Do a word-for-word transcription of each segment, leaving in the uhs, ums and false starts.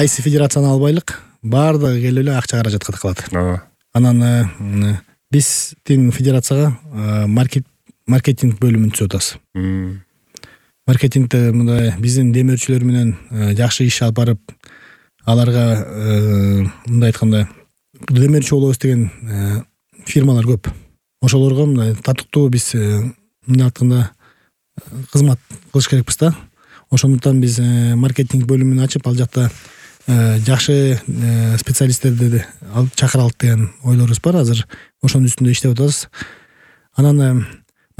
кайсы федерацияны албайлык, баардыгы келип эле акча каражатка кылат. Ооба. Анан биздин федерацияга маркетинг бөлүмүн түзүп атабыз. Маркетингде мындай биздин демөөрчүлөр менен жакшы иш алып барып, аларга мындай айтканда демөөрчү болобуз деген фирмалар көп. Ошолорго мындай татыктуу биз мындай айтканда кызмат кылыш керекпиз да. Ошондуктан биз маркетинг бөлүмүн ачып, ал жакта жакшы специалисттерди алып чакыра алып деген ойлорубуз бар. Азыр ошонун үстүндө иштеп атабыз. Анан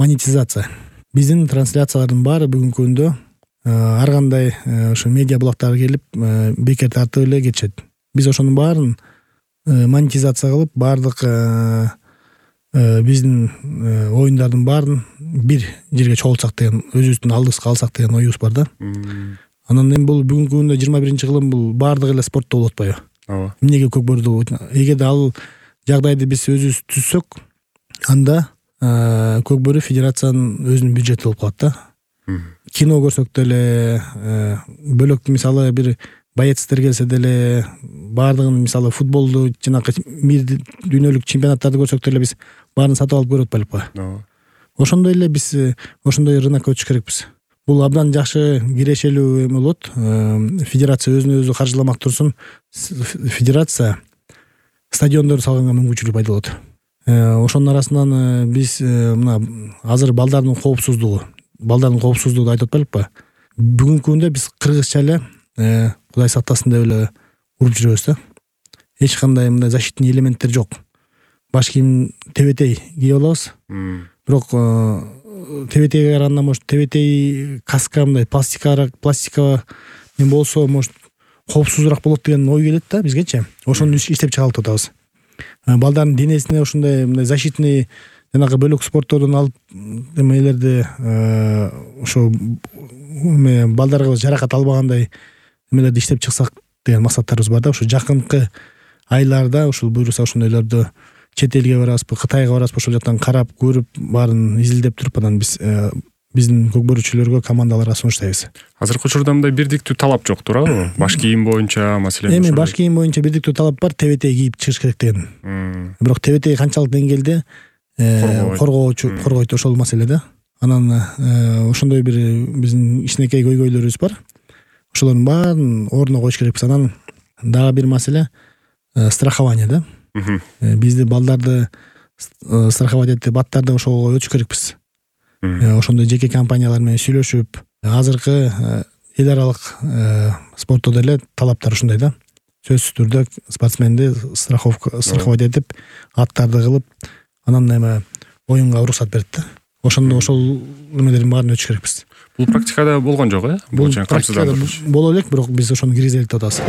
монетизация. Биздин трансляциялардын баары бүгүнкү күндө ар кандай ошо медиа блоктар келип бекер тартып эле кетишет. Биз ошонун баарын монетизация кылып, баардык биздин оюндардын баарын бир жерге чогултсак деген, өзүбүздүн алдыбызга алсак деген оюбуз бар да. Анан эми бул бүгүнкү күндө жыйырма биринчи кылым бул баардыгы эле спортто болуп атпайбы? Ооба. Эмнеге көкбөрдү? Эгерде ал жагдайды биз өзүбүз түзсөк, анда көкбөрү федерациянын өзүнүн бюджети болуп калат да. Кино көрсөк деле, бөлөк мисалы бир боецтер келсе деле, баардыгын мисалы футболду жанакы мир дүйнөлүк чемпионаттарды көрсөк деле биз баарын сатып алып көрүп атпайлыкпы? Ооба. Ошондой эле биз ошондой рынокко өтүш керекпиз. Бул абдан жакшы кирешелүү эме болот. Федерация өзүнө өзү каржыламак турсун, федерация стадиондорду салганга мүмкүнчүлүк пайда болот. Ошонун арасынан биз мына азыр балдардын коопсуздугу, балдардын коопсуздугу айтып атпайлыкпы? Бүгүнкү күндө биз кыргызча эле Кудай сактасын деп эле уруп жүрөбүз да. Эч кандай мындай защитный элементтер жок. Баш кийим тебетей кийип алабыз. Бирок тебетейге караганда может тебетей каска мындай пластикарак, пластика мен болсо может коопсузураак болот деген ой келет да бизгечи. Ошону иштеп чыгарып атабыз. Балдардын денесине ошондой мындай защитный жанагы бөлөк спорттордон алып эмелерди ошо балдарга жаракат албагандай эмелерди иштеп чыксак деген максаттарыбыз бар да. Ошо жакынкы айларда ушул буюрса ошондойлорду чет элге барабызбы, Кытайга барабызбы, ошол жактан карап, көрүп, баарын изилдеп туруп анан биз биздин көкбөрүчүлөргө командаларга сунуштайбыз. Азыркы учурда мындай бирдиктүү талап жок, туурабы? Баш кийим боюнча маселен. Эми баш кийим боюнча бирдиктүү талап бар, тебетей кийип чыгыш керек деген. Бирок тебетей канчалык деңгээлде коргоочу коргойт, ошол маселе да. Анан ошондой бир биздин кичинекей көйгөйлөрүбүз бар. Ошолордун баарын ордуна коюш керекпиз. Анан дагы бир маселе страхование да. Бизди балдарды страховать этип, аттарды ошого өтүш керекпиз. Ошондой жеке компаниялар менен сүйлөшүп, азыркы эл аралык спортто деле талаптар ушундай да. Сөзсүз түрдө спортсменди страховка страховать этип, аттарды кылып, анан эме оюнга уруксат берет да. Ошондо ошол эмелердин баарын өтүш керекпиз. Бул практикада болгон жок, э? Бул практикада боло элек, бирок биз ошону киргизе элек деп атабыз.